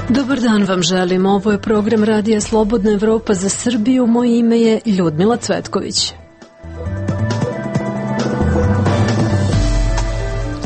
Dobar dan vam želim. Ovo je program Radija Slobodna Evropa za Srbiju. Moje ime je Ljudmila Cvetković.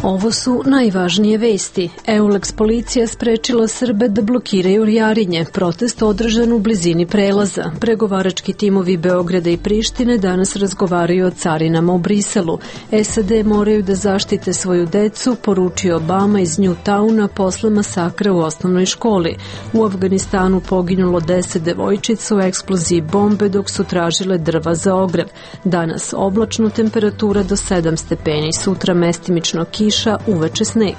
Ovo su najvažnije vesti. EULEX policija sprečila Srbe da blokiraju Jarinje. Protest održan u blizini prelaza. Pregovarački timovi Beograda i Prištine danas razgovaraju o carinama u Briselu. SAD moraju da zaštite svoju decu, poručio Obama iz Newtowna posle masakra u osnovnoj školi. U Afganistanu poginulo 10 devojčica u eksploziji bombe dok su tražile drva za ogrev. Danas oblačno, temperatura do 7 stepeni, sutra mestimično kiša, uveče sneg.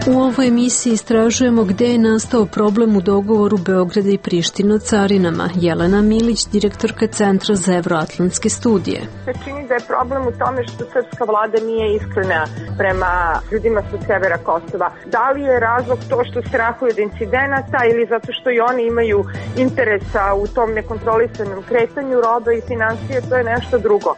U ovoj emisiji istražujemo gde je nastao problem u dogovoru Beograda i Prištine o carinama. Jelena Milić, direktorka Centra za evroatlantske studije. Se čini da je problem u tome što srpska vlada nije iskrena prema ljudima sa severa Kosova. Da li je razlog to što strahuju od incidenata ili zato što i oni imaju interesa u tom nekontrolisanom kretanju roba i financije, to je nešto drugo.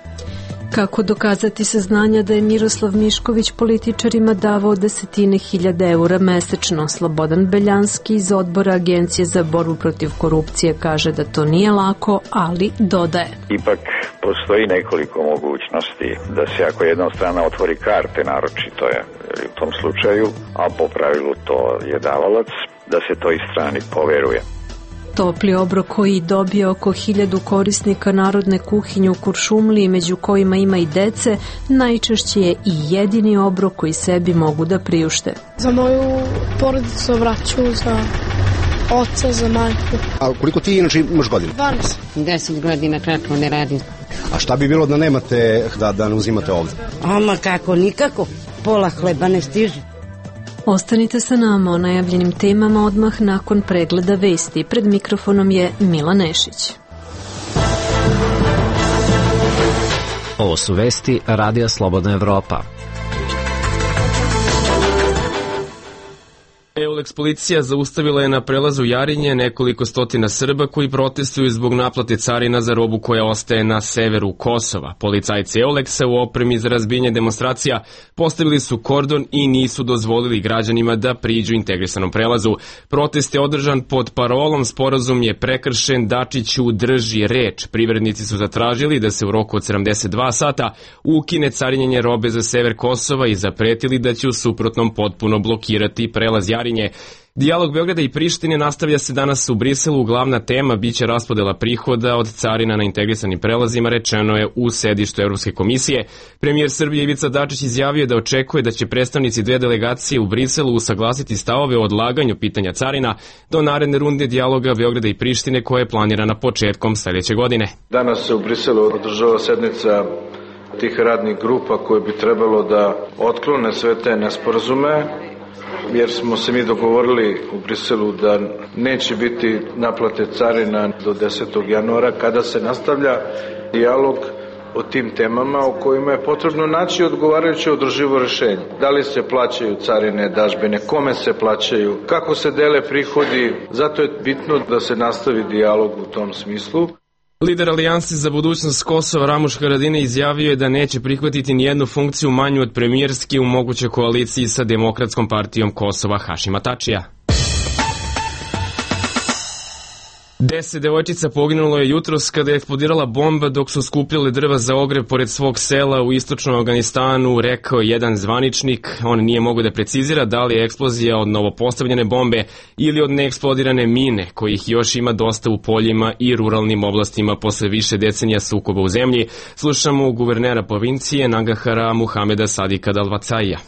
Kako dokazati saznanja da je Miroslav Mišković političarima davao desetine hiljada eura mesečno? Slobodan Beljanski iz odbora Agencije za borbu protiv korupcije kaže da to nije lako, ali dodaje. Ipak postoji nekoliko mogućnosti da se ako jedna strana otvori karte, naročito je u tom slučaju, a po pravilu to je davalac, da se toj strani poveruje. Topli obrok koji dobije oko 1000 korisnika narodne kuhinje u Kuršumliji, među kojima ima i dece, najčešće je i jedini obrok koji sebi mogu da priušte. Za moju porodicu vraću, za oca, za majku. A koliko ti inače imaš godina? 12. 10 godina kako ne radim. A šta bi bilo da nemate, da ne uzimate ovdje? Ama kako, nikako. Pola hleba ne stiže. Ostanite sa nama o najavljenim temama odmah nakon pregleda vesti. Pred mikrofonom je Mila Nešić. Ovo su vesti Radija Slobodna Evropa. EULEX policija zaustavila je na prelazu Jarinje nekoliko stotina Srba koji protestuju zbog naplate carina za robu koja ostaje na severu Kosova. Policajci EULEX-a u opremi za razbijanje demonstracija postavili su kordon i nisu dozvolili građanima da priđu integrisanom prelazu. Protest je održan pod parolom "Sporazum je prekršen, Dačiću drži reč". Privrednici su zatražili da se u roku od 72 sata ukine carinjenje robe za sever Kosova i zapretili da će u suprotnom potpuno blokirati prelaz Jarinje. Dijalog Beograda i Prištine nastavlja se danas u Briselu. Glavna tema biće raspodela prihoda od carina na integrisanim prelazima, rečeno je u sedištu Evropske komisije. Premijer Srbije Ivica Dačić izjavio da očekuje da će predstavnici dve delegacije u Briselu usaglasiti stavove o odlaganju pitanja carina do naredne runde dijaloga Beograda i Prištine koja je planirana početkom sledeće godine. Danas se u Briselu održava sednica tih radnih grupa koje bi trebalo da otklone sve te nesporazume, jer smo se mi dogovorili u Briselu da neće biti naplate carina do 10. januara kada se nastavlja dijalog o tim temama o kojima je potrebno naći odgovarajuće održivo rešenje. Da li se plaćaju carine, dažbine, kome se plaćaju, kako se dele prihodi, zato je bitno da se nastavi dijalog u tom smislu. Lider Alijanse za budućnost Kosova Ramuš Haradinaj izjavio je da neće prihvatiti nijednu funkciju manju od premijerske u mogućoj koaliciji sa Demokratskom partijom Kosova Hašima Tačija. 10 devojčica poginulo je jutros kada je eksplodirala bomba dok su skupljale drva za ogrev pored svog sela u istočnom Afganistanu, rekao jedan zvaničnik. On nije mogao da precizira da li je eksplozija od novopostavljene bombe ili od neeksplodirane mine, kojih još ima dosta u poljima i ruralnim oblastima posle više decenija sukoba u zemlji. Slušamo guvernera provincije Nangahara Muhameda Sadika Dalvacaija.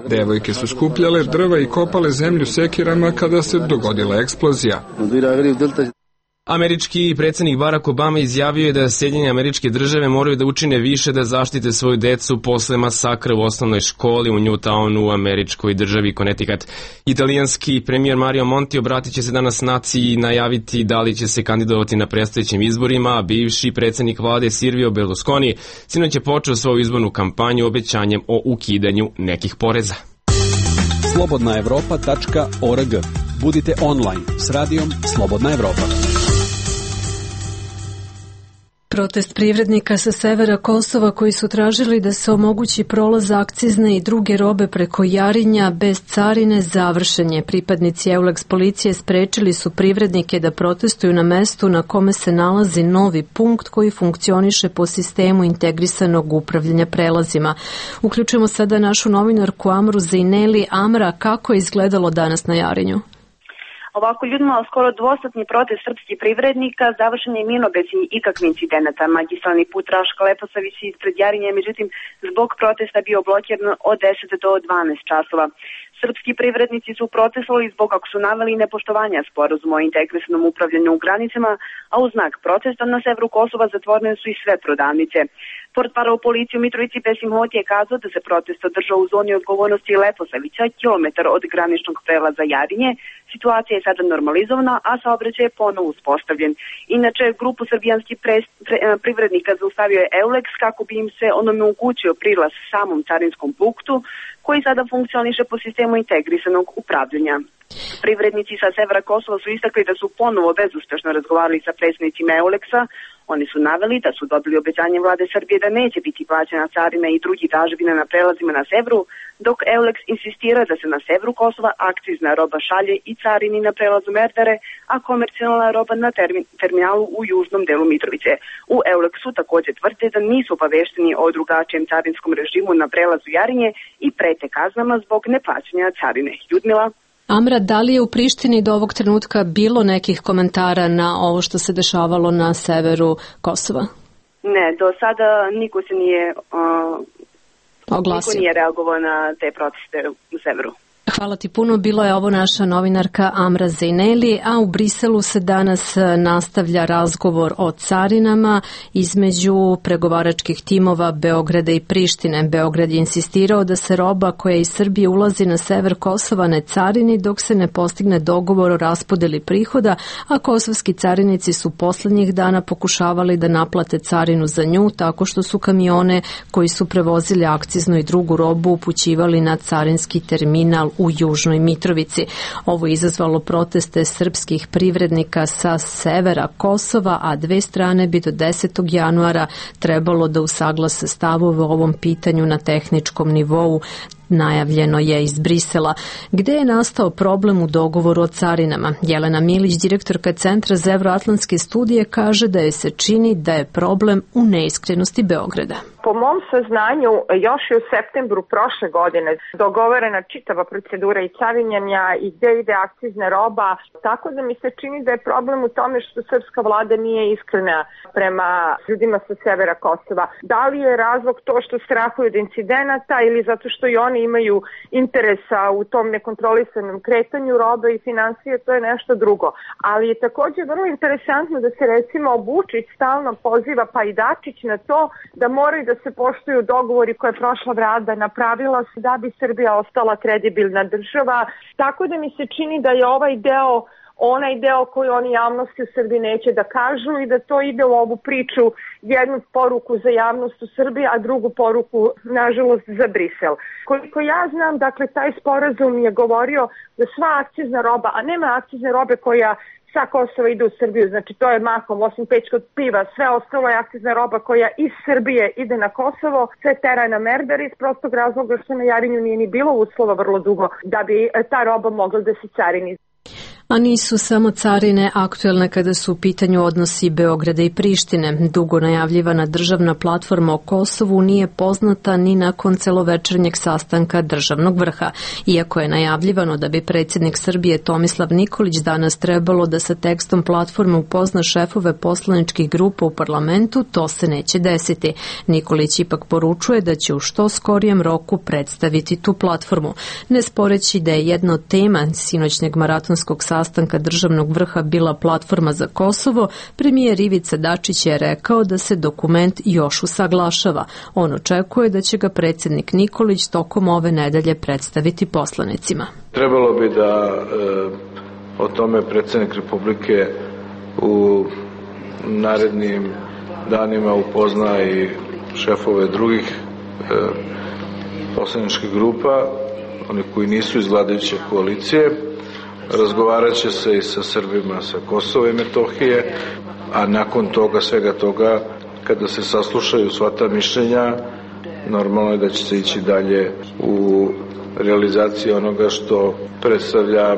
Devojke su skupljale drva i kopale zemlju sekirama kada se dogodila eksplozija. Američki predsjednik Barack Obama izjavio je da Sjedinjene Američke Države moraju da učine više da zaštite svoju decu posle masakra u osnovnoj školi u Newtownu u američkoj državi Connecticut. Italijanski premijer Mario Monti obratit će se danas naciji i najaviti da li će se kandidovati na predstojećim izborima, a bivši predsjednik vlade Silvio Berlusconi sinoć je počeo svoju izbornu kampanju obećanjem o ukidanju nekih poreza. Slobodnaevropa.org. Budite online s radijom Slobodna Evropa. Protest privrednika sa severa Kosova koji su tražili da se omogući prolaz akcizne i druge robe preko Jarinja bez carine završen je. Pripadnici EULEX policije sprečili su privrednike da protestuju na mestu na kome se nalazi novi punkt koji funkcioniše po sistemu integrisanog upravljanja prelazima. Uključujemo sada našu novinarku Amru Zejneli. Amra, kako je izgledalo danas na Jarinju? Ovako, Ljudmila, skoro dvosatni protest srpskih privrednika završen je mirno bez ikakvih incidenata. Magistralni put Raška-Leposa visi ispred Jarinja, međutim, zbog protesta bio blokiran od 10 do 12 časova. Srpski privrednici su protestovali zbog, kako su naveli, nepoštovanja sporazuma o integrisanom upravljanju u granicama, a u znak protesta na severu Kosova zatvorene su i sve prodavnice. Portparol policije u Mitrovici Besim Hoti je kazao da se protest održao u zoni odgovornosti Leposavića, kilometar od graničnog prelaza Jarinje. Situacija je sada normalizovana, a saobraćaj je ponovo uspostavljen. Inače, grupu srbijanskih privrednika zaustavio je EULEX kako bi im se onemogućio prilaz samom carinskom punktu, koji sada funkcioniše po sistemu integrisanog upravljanja. Privrednici sa severa Kosova su istakli da su ponovo bezuspešno razgovarali sa predstavnicima EULEX-a. Oni su naveli da su dobili obećanje vlade Srbije da neće biti plaćena carina i drugi dažbine na prelazima na severu, dok EULEX insistira da se na severu Kosova akcizna roba šalje i carini na prelazu Merdare, a komercijalna roba na terminalu u južnom delu Mitrovice. U EULEX-u također tvrde da nisu obavešteni o drugačijem carinskom režimu na prelazu Jarinje i prete kaznama zbog neplaćanja carine. Ljudmila? Amra, da li je u Prištini do ovog trenutka bilo nekih komentara na ovo što se dešavalo na severu Kosova? Ne, do sada niko se nije oglasio. Niko nije reagovao na te proteste u severu. Hvala ti puno, bilo je ovo naša novinarka Amra Zejneli, a u Briselu se danas nastavlja razgovor o carinama između pregovaračkih timova Beograda i Prištine. Beograd je insistirao da se roba koja iz Srbije ulazi na sever Kosova ne carini dok se ne postigne dogovor o raspodeli prihoda, a kosovski carinici su poslednjih dana pokušavali da naplate carinu za nju tako što su kamione koji su prevozili akciznu i drugu robu upućivali na carinski terminal u Južnoj Mitrovici. Ovo je izazvalo proteste srpskih privrednika sa severa Kosova, a dve strane bi do 10. januara trebalo da usaglase stavove o ovom pitanju na tehničkom nivou. Najavljeno je iz Brisela. Gde je nastao problem u dogovoru o carinama? Jelena Milić, direktorka Centra za evroatlantske studije, kaže da je se čini da je problem u neiskrenosti Beograda. Po mom saznanju, još je u septembru prošle godine dogovorena čitava procedura i carinjenja i gde ide akcizna roba, tako da mi se čini da je problem u tome što srpska vlada nije iskrena prema ljudima sa severa Kosova. Da li je razlog to što strahuju od incidenata ili zato što i oni imaju interesa u tom nekontrolisanom kretanju robe i financije, to je nešto drugo. Ali je također vrlo interesantno da se recimo Vučić stalno poziva, pa i Dačić, na to da moraju da se poštuju dogovori koje je prošla vlada napravila da bi Srbija ostala kredibilna država. Tako da mi se čini da je ovaj deo onaj deo koji oni javnosti u Srbiji neće da kažu i da to ide u ovu priču, jednu poruku za javnost u Srbiji, a drugu poruku, nažalost, za Brisel. Koliko ja znam, dakle, taj sporazum je govorio da sva akcizna roba, a nema akcizne robe koja sa Kosova ide u Srbiju, znači to je mahom, osim pečkog piva, sve ostalo je akcizna roba koja iz Srbije ide na Kosovo, sve tera na Merdar iz prostog razloga što na Jarinju nije ni bilo uslova vrlo dugo da bi ta roba mogla da se carini. A nisu samo carine aktuelne kada su u pitanju odnosi Beograda i Prištine. Dugo najavljivana državna platforma o Kosovu nije poznata ni nakon celovečernjeg sastanka državnog vrha. Iako je najavljivano da bi predsjednik Srbije Tomislav Nikolić danas trebalo da sa tekstom platforme upozna šefove poslaničkih grupa u parlamentu, to se neće desiti. Nikolić ipak poručuje da će u što skorijem roku predstaviti tu platformu. Ne sporeći da je jedna od tema sinoćnjeg maratonskog sastanka državnog vrha bila platforma za Kosovo, premijer Ivica Dačić je rekao da se dokument još usaglašava. On očekuje da će ga predsjednik Nikolić tokom ove nedelje predstaviti poslanicima. Trebalo bi da o tome predsjednik Republike u narednim danima upozna i šefove drugih poslaničkih grupa, oni koji nisu iz vladajuće koalicije. Razgovarat će se i sa Srbima sa Kosova i Metohije, a nakon toga, svega toga, kada se saslušaju sva ta mišljenja, normalno je da će se ići dalje u realizaciji onoga što predstavlja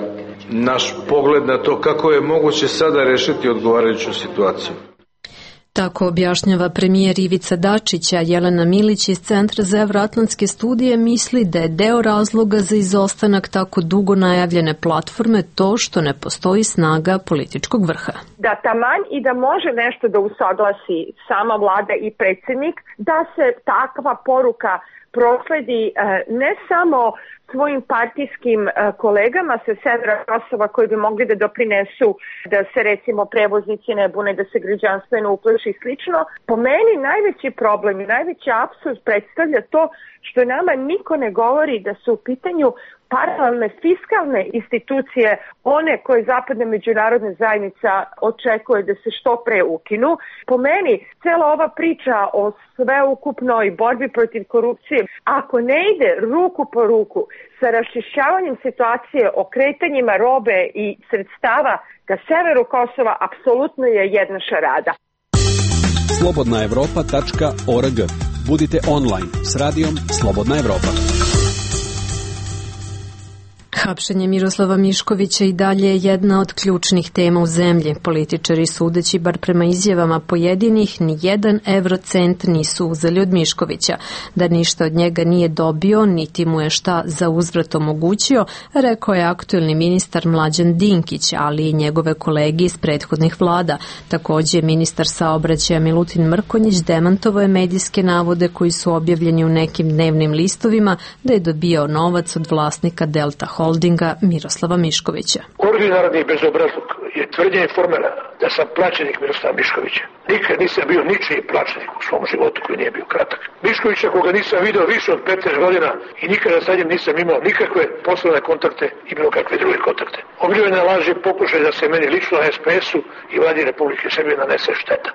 naš pogled na to kako je moguće sada rešiti odgovarajuću situaciju. Tako objašnjava premijer Ivica Dačić, a Jelena Milić iz Centra za evroatlantske studije misli da je deo razloga za izostanak tako dugo najavljene platforme to što ne postoji snaga političkog vrha. Da taman i da može nešto da usaglasi sama vlada i predsjednik, da se takva poruka prosledi ne samo svojim partijskim kolegama sa severa Kosova koji bi mogli da doprinesu da se recimo prevoznici ne bune, da se građanstvo ne uplaši i slično. Po meni najveći problem i najveći apsurd predstavlja to što nama niko ne govori da su u pitanju paralelne fiskalne institucije, one koje zapadna međunarodna zajednica očekuje da se što pre ukinu. Po meni, cela ova priča o sveukupnoj borbi protiv korupcije, ako ne ide ruku po ruku sa raščišćavanjem situacije o kretanjima robe i sredstava ka severu Kosova, apsolutno je jedna šarada. Slobodnaevropa.org. Budite online s radijom Slobodna Evropa. Hapšenje Miroslava Miškovića i dalje je jedna od ključnih tema u zemlji. Političari, sudeći bar prema izjavama pojedinih, ni jedan eurocent nisu uzeli od Miškovića. Da ništa od njega nije dobio, niti mu je šta za uzvrat omogućio, rekao je aktuelni ministar Mlađan Dinkić, ali i njegove kolege iz prethodnih vlada. Također ministar saobraćaja Milutin Mrkonjić demantovao je medijske navode koji su objavljeni u nekim dnevnim listovima da je dobio novac od vlasnika Delta Holdinga Miroslava Miškovića. Ordinarni bezobrazluk je tvrđenje formela da sam plaćenik Miroslava Miškovića. Nikad nisam bio ničiji plaćenik u svom životu koji nije bio kratak. Miškovića koga nisam video više od 15 godina i nikada sa njim nisam imao nikakve poslovne kontakte i bilo kakve druge kontakte. Obilivene laži pokušaj da se meni lično na SPS-u i vladi Republike Srbije nanese šteta.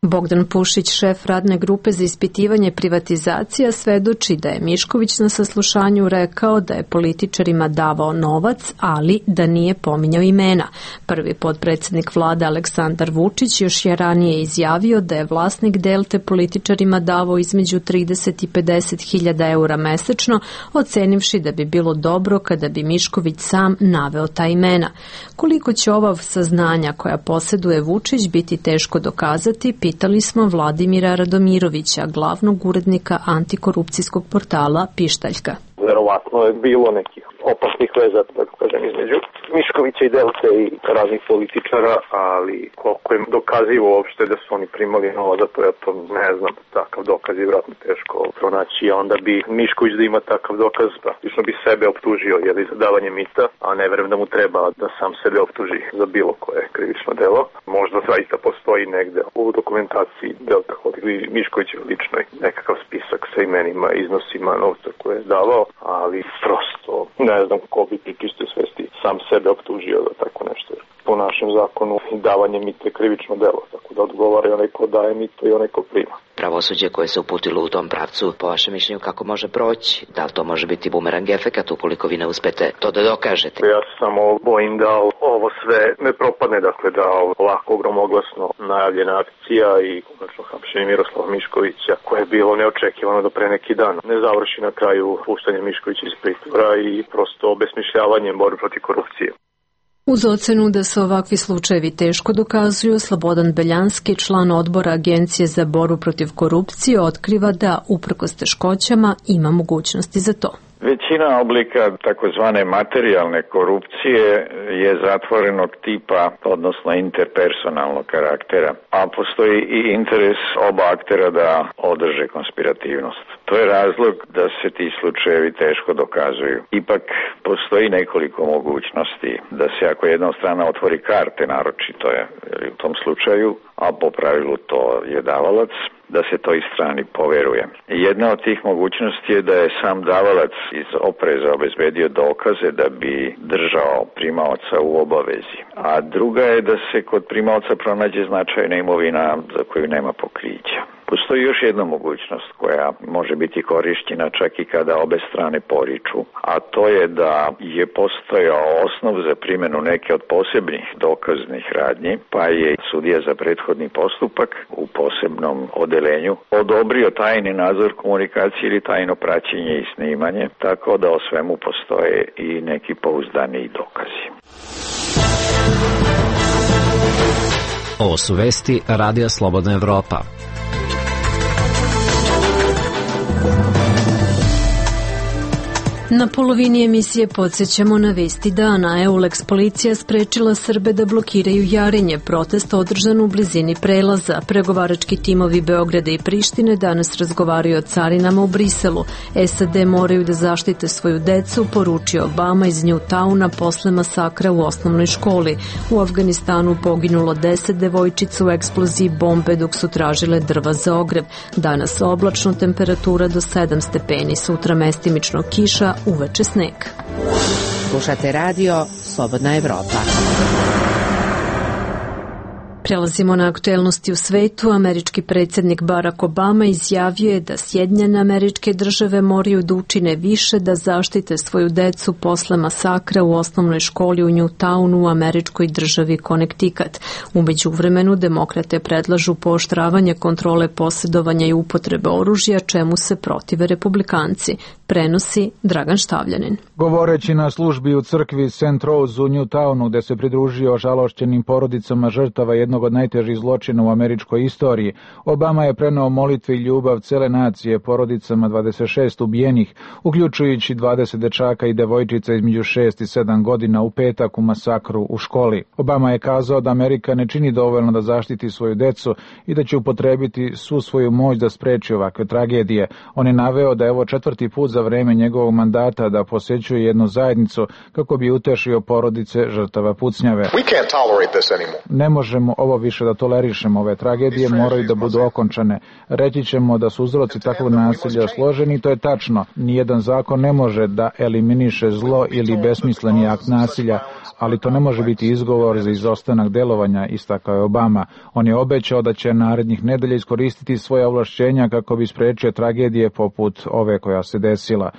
Bogdan Pušić, šef radne grupe za ispitivanje privatizacija, svedoči da je Mišković na saslušanju rekao da je političarima davao novac, ali da nije pominjao imena. Prvi potpredsjednik vlade Aleksandar Vučić još je ranije izjavio da je vlasnik Delte političarima davao između 30 i 50 hiljada eura mesečno, ocenivši da bi bilo dobro kada bi Mišković sam naveo ta imena. Koliko će ova saznanja koja posjeduje Vučić biti teško dokazati, pitali smo Vladimira Radomirovića, glavnog urednika antikorupcijskog portala Pištaljka. Verovatno je bilo nekih opasnih veza, tako kažem, između Miškovića i Delte i raznih političara, ali koliko je dokazivo uopšte da su oni primali novac za to, ja to ne znam, takav dokaz je vjerojatno teško pronaći, a onda bi Mišković da ima takav dokaz, praktično bi sebe optužio za davanje mita, a ne verujem da mu treba da sam sebe optuži za bilo koje krivično delo. Možda zaista postoji negde u dokumentaciji Delta Holdinga i Miškovića ličnoj nekakav spisak sa imenima, iznosima novca koje je davao, ali prosto ne znam ko bi pri čistoj svesti sam sebe optužio da tako nešto. Po našem zakonu davanje mita je krivično delo, tako da odgovara i onaj ko daje mito i onaj ko prima. Pravosuđe koje se uputilo u tom pravcu, po vašem mišljenju, kako može proći? Da li to može biti bumerang efekat ukoliko vi ne uspete to da dokažete? Ja se samo bojim da ovo sve ne propadne, dakle da ovako gromoglasno najavljena akcija i konačno hapšenje Miroslava Miškovića, koje je bilo neočekivano do pre neki dan, ne završi na kraju puštanjem Miškovića iz pritvora i prosto obesmišljavanjem borbe protiv korupcije. Uz ocenu da se ovakvi slučajevi teško dokazuju, Slobodan Beljanski, član odbora Agencije za borbu protiv korupcije, otkriva da, uprkos teškoćama, ima mogućnosti za to. Većina oblika takozvane materijalne korupcije je zatvorenog tipa, odnosno interpersonalnog karaktera, a postoji i interes oba aktera da održe konspirativnost. To je razlog da se ti slučajevi teško dokazuju. Ipak postoji nekoliko mogućnosti da se ako jedna strana otvori karte, naročito je u tom slučaju, a po pravilu to je davalac, da se toj strani poveruje. Jedna od tih mogućnosti je da je sam davalac iz opreza obezbedio dokaze da bi držao primaoca u obavezi. A druga je da se kod primaoca pronađe značajna imovina za koju nema pokrića. Postoji još jedna mogućnost koja može biti korišćena čak i kada obe strane poriču, a to je da je postojao osnov za primjenu neke od posebnih dokaznih radnji, pa je sudija za prethodni postupak u posebnom odelenju odobrio tajni nadzor komunikacije ili tajno praćenje i snimanje, tako da o svemu postoje i neki pouzdaniji dokazi. Ovo su vesti Radija Slobodna Evropa. Na polovini emisije podsjećamo na vesti dana. EULEX policija sprečila Srbe da blokiraju Jarinje. Protest održan u blizini prelaza. Pregovarački timovi Beograda i Prištine danas razgovaraju o carinama u Briselu. SAD moraju da zaštite svoju decu, poručio Obama iz Newtowna posle masakra u osnovnoj školi. U Afganistanu poginulo 10 devojčica u eksploziji bombe dok su tražile drva za ogrev. Danas oblačno, temperatura do 7 stepeni, sutra mestimično kiša, uveče sneg. Slušate radio Slobodna Evropa. Prelazimo na aktuelnosti u svetu. Američki predsjednik Barack Obama izjavio je da Sjedinjene Američke Države moraju da učine više da zaštite svoju decu posle masakra u osnovnoj školi u Newtownu u američkoj državi Connecticut. U međuvremenu demokrate predlažu pooštravanje kontrole posjedovanja i upotrebe oružja, čemu se protive republikanci. Prenosi Dragan Štavljanin. Govoreći na službi u crkvi St. Rose u Newtownu, gde se pridružio žalošćenim porodicama žrtava jednog od najtežih zločina u američkoj istoriji, Obama je preneo molitve i ljubav cele nacije porodicama 26 ubijenih, uključujući 20 dečaka i devojčica između 6 i 7 godina u petak u masakru u školi. Obama je kazao da Amerika ne čini dovoljno da zaštiti svoju decu i da će upotrebiti svu svoju moć da spreči ovakve tragedije. On je naveo da je ovo 4. put za vreme njegovog mandata da posećuje jednu zajednicu kako bi utešio porodice žrtava pucnjave. Ne možemo ovo više da tolerišemo, ove tragedije moraju da budu okončane. Reći ćemo da su uzroci takvog nasilja složeni, to je tačno. Nijedan zakon ne može da eliminiše zlo ili besmisleni akt nasilja, ali to ne može biti izgovor za izostanak delovanja, istakao je Obama. On je obećao da će narednih nedelja iskoristiti svoje ovlašćenja kako bi sprečio tragedije poput ove koja se desila.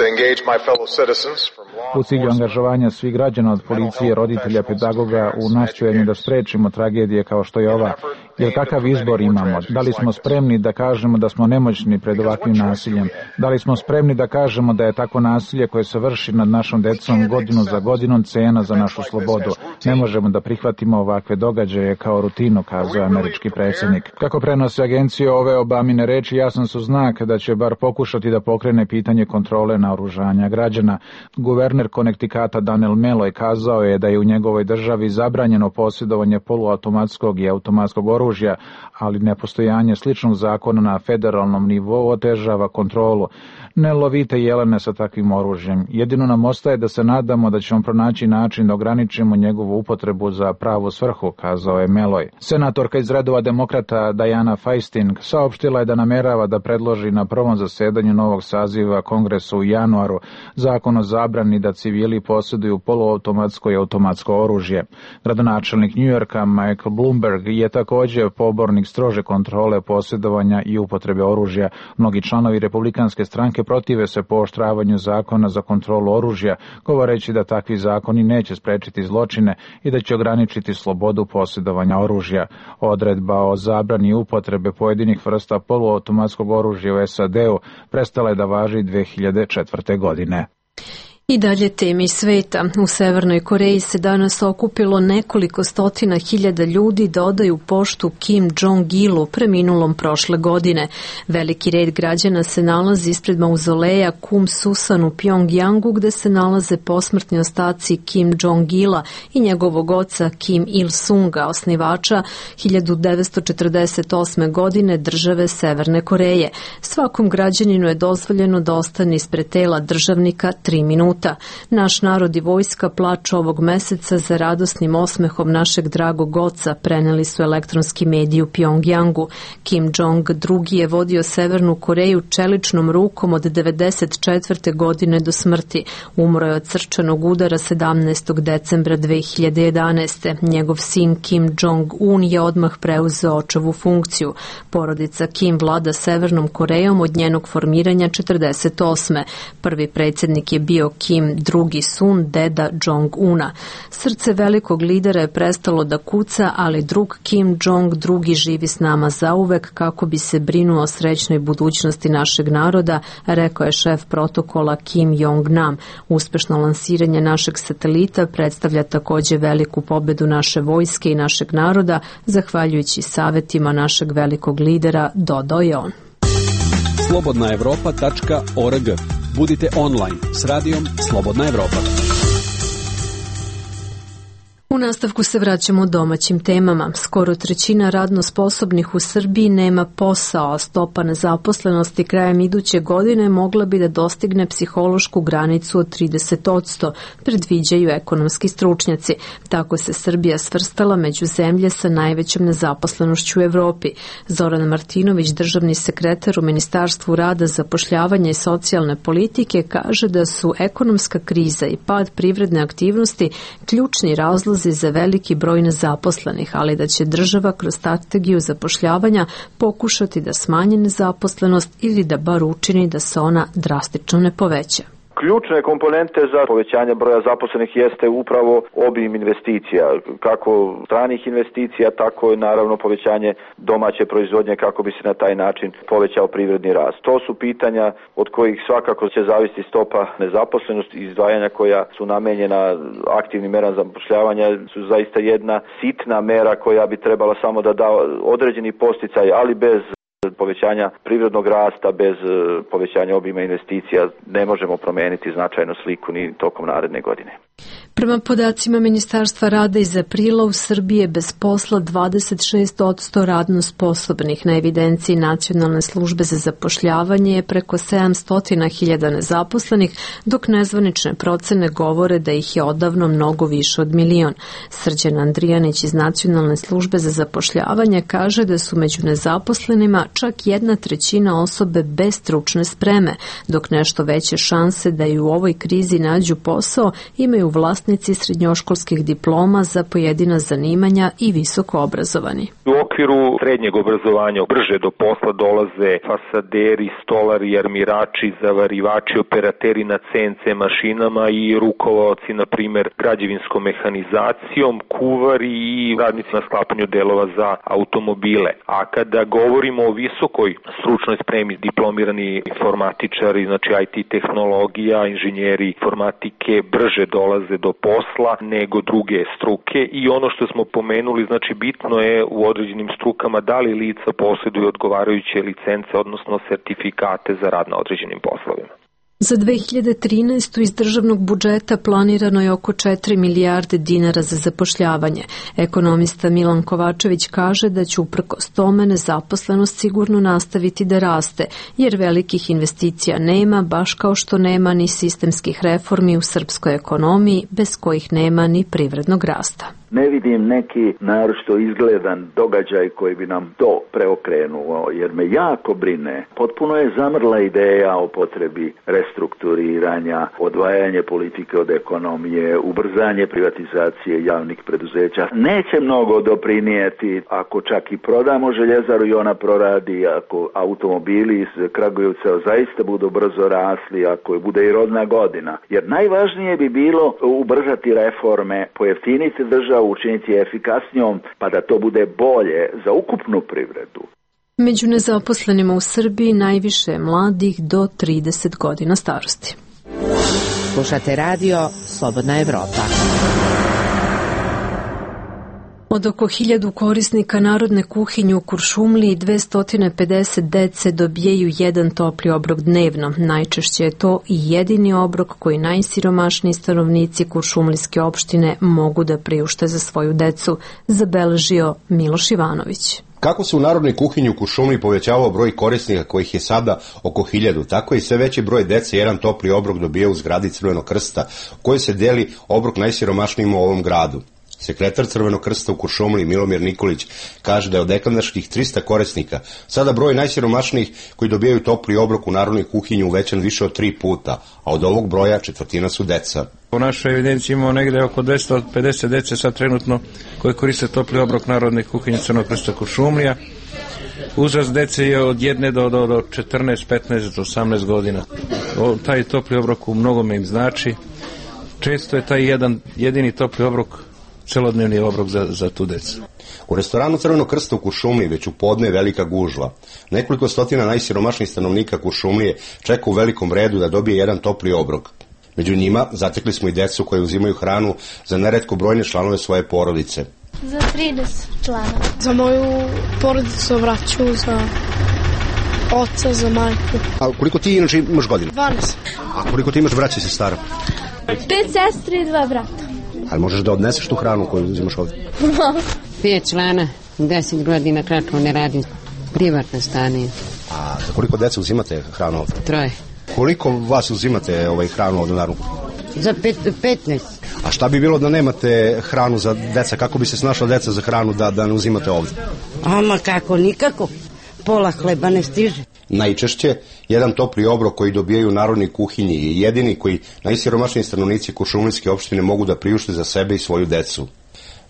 U cilju angažovanja svih građana od policije, roditelja, pedagoga u nastojanju da sprečimo tragedije kao što je ova. Jer kakav izbor imamo? Da li smo spremni da kažemo da smo nemoćni pred ovakvim nasiljem? Da li smo spremni da kažemo da je takvo nasilje koje se vrši nad našom decom godinu za godinom cena za našu slobodu? Ne možemo da prihvatimo ovakve događaje kao rutinu, kazao američki predsjednik. Kako prenose agencije, ove Obamine reči jasan su znak da će bar pokušati da pokrene pitanje kontrole naoružanja građana. Guverner Connecticuta Daniel Malloy kazao je da je u njegovoj državi zabranjeno posjedovanje poluautomatskog i automatskog oružja, ali nepostojanje sličnog zakona na federalnom nivou otežava kontrolu. Ne lovite jelene sa takvim oružjem. Jedino nam ostaje da se nadamo da ćemo pronaći način da ograničimo njegovu upotrebu za pravu svrhu, kazao je Malloy. Senatorka iz redova demokrata Diana Feinstein saopštila je da namerava da predloži na prvom zasedanju novog saziva Kongresa u januaru zakon o zabrani da civili posjeduju poluautomatsko i automatsko oružje. Gradonačelnik New Yorka Michael Bloomberg je također pobornik strože kontrole posjedovanja i upotrebe oružja. Mnogi članovi republikanske stranke protive se pooštravanju zakona za kontrolu oružja, govoreći da takvi zakoni neće sprečiti zločine i da će ograničiti slobodu posjedovanja oružja. Odredba o zabrani upotrebe pojedinih vrsta poluautomatskog oružja u SAD-u prestala je da važi 2004. godine. I dalje temi sveta. U Severnoj Koreji se danas okupilo nekoliko stotina hiljada ljudi da odaju poštu Kim Jong-ilu, preminulom prošle godine. Veliki red građana se nalazi ispred mauzoleja Kum Susan u Pjongjangu, gde se nalaze posmrtni ostaci Kim Jong-ila i njegovog oca Kim Il-sunga, osnivača 1948. godine države Severne Koreje. Svakom građaninu je dozvoljeno da ostane ispred tela državnika 3 minuta. minuta. Naš narod i vojska plaču ovog meseca za radosnim osmehom našeg dragog oca, preneli su elektronski mediji u Pjongjangu. Kim Jong II je vodio Severnu Koreju čeličnom rukom od 1994. godine do smrti. Umro je od srčanog udara 17. decembra 2011. Njegov sin Kim Jong-un je odmah preuzeo očevu funkciju. Porodica Kim vlada Severnom Korejom od njenog formiranja 48. Prvi predsjednik je bio Kim, drugi Sun, deda Jong-una. Srce velikog lidera je prestalo da kuca, ali drug Kim Jong II živi s nama zauvek kako bi se brinuo o srećnoj budućnosti našeg naroda, rekao je šef protokola Kim Jong-nam. Uspešno lansiranje našeg satelita predstavlja također veliku pobedu naše vojske i našeg naroda, zahvaljujući savjetima našeg velikog lidera, dodao je on. slobodnaevropa.org. Budite online s radijom Slobodna Evropa. U nastavku se vraćamo domaćim temama. Skoro trećina radno sposobnih u Srbiji nema posao, a stopa nezaposlenosti krajem iduće godine mogla bi da dostigne psihološku granicu od 30%, predviđaju ekonomski stručnjaci. Tako se Srbija svrstala među zemlje sa najvećom nezaposlenošću u Evropi. Zoran Martinović, državni sekretar u Ministarstvu rada, zapošljavanja i socijalne politike, kaže da su ekonomska kriza i pad privredne aktivnosti ključni razlozi za veliki broj nezaposlenih, ali da će država kroz strategiju zapošljavanja pokušati da smanji nezaposlenost ili da bar učini da se ona drastično ne poveća. Ključne komponente za povećanje broja zaposlenih jeste upravo obim investicija, kako stranih investicija, tako i naravno povećanje domaće proizvodnje kako bi se na taj način povećao privredni rast. To su pitanja od kojih svakako će zavisiti stopa nezaposlenosti i izdvajanja koja su namenjena aktivnim merama zapošljavanja su zaista jedna sitna mera koja bi trebala samo da da određeni posticaj, ali bez povećanja privrednog rasta, bez povećanja obima investicija ne možemo promijeniti značajnu sliku ni tokom naredne godine. Prema podacima Ministarstva rada iz aprila u Srbiji je bez posla 26% radno sposobnih. Na evidenciji Nacionalne službe za zapošljavanje je preko 700.000 nezaposlenih, dok nezvanične procene govore da ih je odavno mnogo više od 1 milion. Srđan Andrijanić iz Nacionalne službe za zapošljavanje kaže da su među nezaposlenima čak 1/3 osobe bez stručne spreme, dok nešto veće šanse da i u ovoj krizi nađu posao imaju vlasnici srednjoškolskih diploma za pojedina zanimanja i visoko obrazovani. U okviru srednjeg obrazovanja brže do posla dolaze fasaderi, stolari, armirači, zavarivači, operateri na CNC mašinama i rukovaoci, na primjer, građevinskom mehanizacijom, kuvari i radnici na sklapanju delova za automobile. A kada govorimo o visokoj stručnoj spremi, diplomirani informatičari, znači IT tehnologija, inženjeri informatike brže dolaze do posla nego druge struke i ono što smo pomenuli, znači bitno je u određenim strukama da li lica posjeduju odgovarajuće licence, odnosno sertifikate za rad na određenim poslovima. Za 2013. iz državnog budžeta planirano je oko 4 milijarde dinara za zapošljavanje. Ekonomista Milan Kovačević kaže da će uprkos tome nezaposlenost sigurno nastaviti da raste, jer velikih investicija nema, baš kao što nema ni sistemskih reformi u srpskoj ekonomiji, bez kojih nema ni privrednog rasta. Ne vidim neki naročito izgledan događaj koji bi nam to preokrenuo, jer me jako brine. Potpuno je zamrla ideja o potrebi restrukturiranja, odvajanje politike od ekonomije, ubrzanje privatizacije javnih preduzeća. Neće mnogo doprinijeti ako čak i prodamo željezaru i ona proradi, ako automobili iz Kragujevca zaista budu brzo rasli, ako bude i rodna godina. Jer najvažnije bi bilo ubrzati reforme, pojeftiniti državu, učiniti efikasnijom, pa da to bude bolje za ukupnu privredu. Među nezaposlenima u Srbiji najviše je mladih do 30 godina starosti. Slušate radio Slobodna Evropa. Od oko 1000 korisnika narodne kuhinje u Kuršumliji 250 dece dobijaju jedan topli obrok dnevno. Najčešće je to i jedini obrok koji najsiromašniji stanovnici Kuršumlijske opštine mogu da priušte za svoju decu, zabeležio Miloš Ivanović. Kako se u narodnoj kuhinji u Kuršumliji povećavao broj korisnika kojih je sada oko 1000, tako i sve veći broj dece jedan topli obrok dobija u zgradi Crvenog krsta, u kojoj se deli obrok najsiromašnijima u ovom gradu. Sekretar Crvenog krsta u Kuršumliji Milomir Nikolić kaže da je od nekadašnjih 300 korisnika sada broj najsiromašnijih koji dobijaju topli obrok u narodnoj kuhinji uvećan više od 3 puta, a od ovog broja četvrtina su deca. U našoj evidenciji imamo negde oko 250 dece sad trenutno koji koriste topli obrok narodne kuhinje Crvenog krsta Kuršumlija. Uzrast dece je od 1 do 14, 15 do 18 godina. Taj topli obrok u mnogome im znači. Često je taj jedini topli obrok celodnevni obrok za tu decu. U restoranu Crvenog krsta u Kuršumliji već u podne je velika gužva. Nekoliko stotina najsiromašnijih stanovnika Kuršumlije čeka u velikom redu da dobije jedan topli obrok. Među njima zatekli smo i decu koje uzimaju hranu za neretko brojne članove svoje porodice. Za 30 članova. Za moju porodicu, vraću, za oca, za majku. A koliko ti inače imaš godina? 12. A koliko ti imaš braća i sestara? 5 sestri i 2 brata. Ali možeš da odneseš tu hranu koju uzimaš ovdje? 5 člana, 10 godina kratko ne radim, privatno stanje. A za koliko deca uzimate hranu ovdje? 3. Koliko vas uzimate hranu ovdje naravno? Za 15. A šta bi bilo da nemate hranu za deca? Kako bi se snašla deca za hranu da ne uzimate ovdje? Ama kako, nikako. Pola hleba ne stiže. Najčešće, jedan topli obrok koji dobijaju u narodnoj kuhinji je jedini koji najsiromašniji stanovnici Kuršumlijske opštine mogu da priušte za sebe i svoju decu.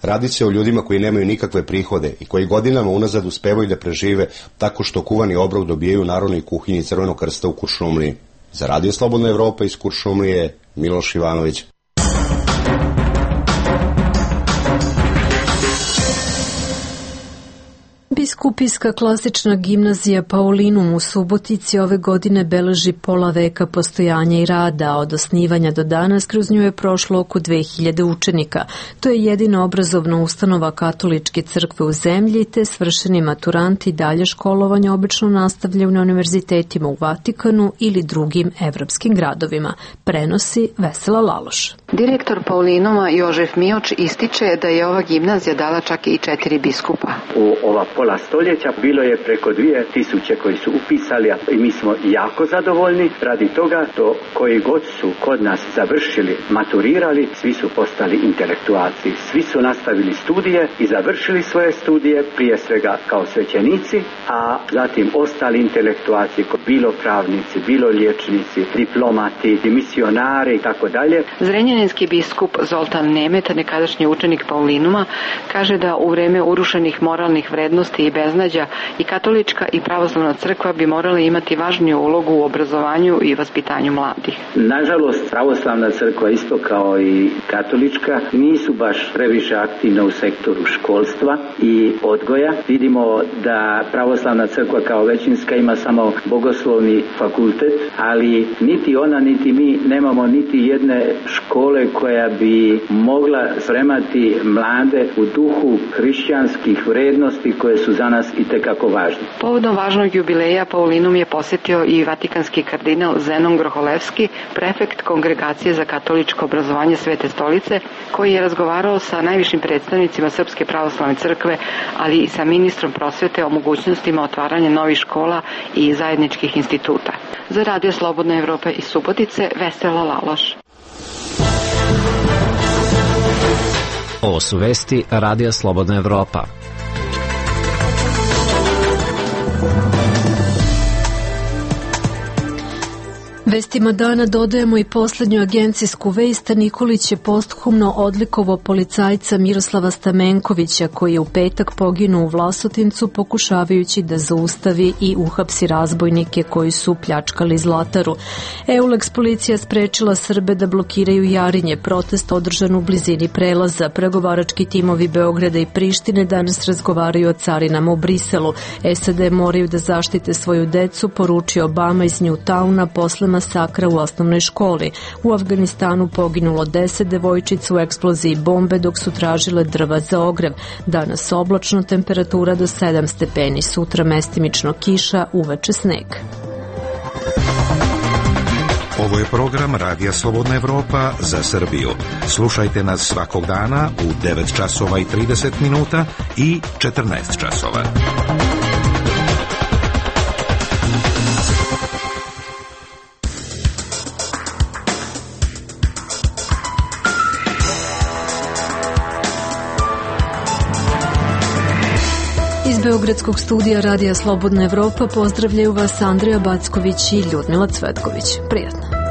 Radi se o ljudima koji nemaju nikakve prihode i koji godinama unazad uspevaju da prežive tako što kuvani obrok dobijaju u narodnoj kuhinji Crvenog krsta u Kuršumliji. Za Radio Slobodna Evropa iz Kuršumlije, Miloš Ivanović. Biskupijska klasična gimnazija Paulinum u Subotici ove godine beleži pola veka postojanja i rada, a od osnivanja do danas kroz nju je prošlo oko 2000 učenika. To je jedina obrazovna ustanova katoličke crkve u zemlji, te svršeni maturanti dalje školovanje obično nastavljaju na univerzitetima u Vatikanu ili drugim evropskim gradovima. Prenosi Vesela Laloš. Direktor Paulinuma Jožef Mioč ističe da je ova gimnazija dala čak i 4 biskupa. U ova pola stoljeća bilo je preko 2000 koji su upisali i mi smo jako zadovoljni radi toga to koji god su kod nas završili, maturirali, svi su postali intelektualci, svi su nastavili studije i završili svoje studije prije svega kao svećenici, a zatim ostali intelektualci, bilo pravnici, bilo liječnici, diplomati, misionari i tako dalje. Zrenjaninski biskup Zoltan Nemet, nekadašnji učenik Paulinuma, kaže da u vreme urušenih moralnih vrednosti i beznađa i katolička i pravoslavna crkva bi morali imati važniju ulogu u obrazovanju i vaspitanju mladih. Nažalost, pravoslavna crkva isto kao i katolička nisu baš previše aktivne u sektoru školstva i odgoja. Vidimo da pravoslavna crkva kao većinska ima samo bogoslovni fakultet, ali niti ona niti mi nemamo niti jedne škole koja bi mogla spremati mlade u duhu hrišćanskih vrednosti koje su za nas itekako važne. Povodom važnog jubileja Paulinum je posjetio i vatikanski kardinal Zenon Groholevski, prefekt Kongregacije za katoličko obrazovanje Svete stolice, koji je razgovarao sa najvišim predstavnicima Srpske pravoslavne crkve, ali i sa ministrom prosvete o mogućnostima otvaranja novih škola i zajedničkih instituta. Za Radio Slobodna Evropa iz Subotice, Vesela Laloš. Ovo su vesti Radija Slobodna Evropa. Vestima dana dodajemo i poslednju agencijsku vest. Nikolić je posthumno odlikovao policajca Miroslava Stamenkovića, koji je u petak poginuo u Vlasotincu pokušavajući da zaustavi i uhapsi razbojnike koji su pljačkali Zlataru. EULEX policija sprečila Srbe da blokiraju Jarinje, protest održan u blizini prelaza. Pregovarački timovi Beograda i Prištine danas razgovaraju o carinama u Briselu. SAD moraju da zaštite svoju decu, poručio Obama iz Newtowna posle masakra u osnovnoj školi. U Afganistanu poginulo 10 devojčica u eksploziji bombe dok su tražile drva za ogrev. Danas oblačno, temperatura do 7 stepeni, sutra mestimično kiša, uveče sneg. Ovo je program Radija Slobodna Evropa za Srbiju. Slušajte nas svakog dana u 9 časova i 30 minuta i 14 časova. Iz Beogradskog studija Radija Slobodna Evropa pozdravljaju vas Andreja Backović i Ljudmila Cvetković. Prijatno.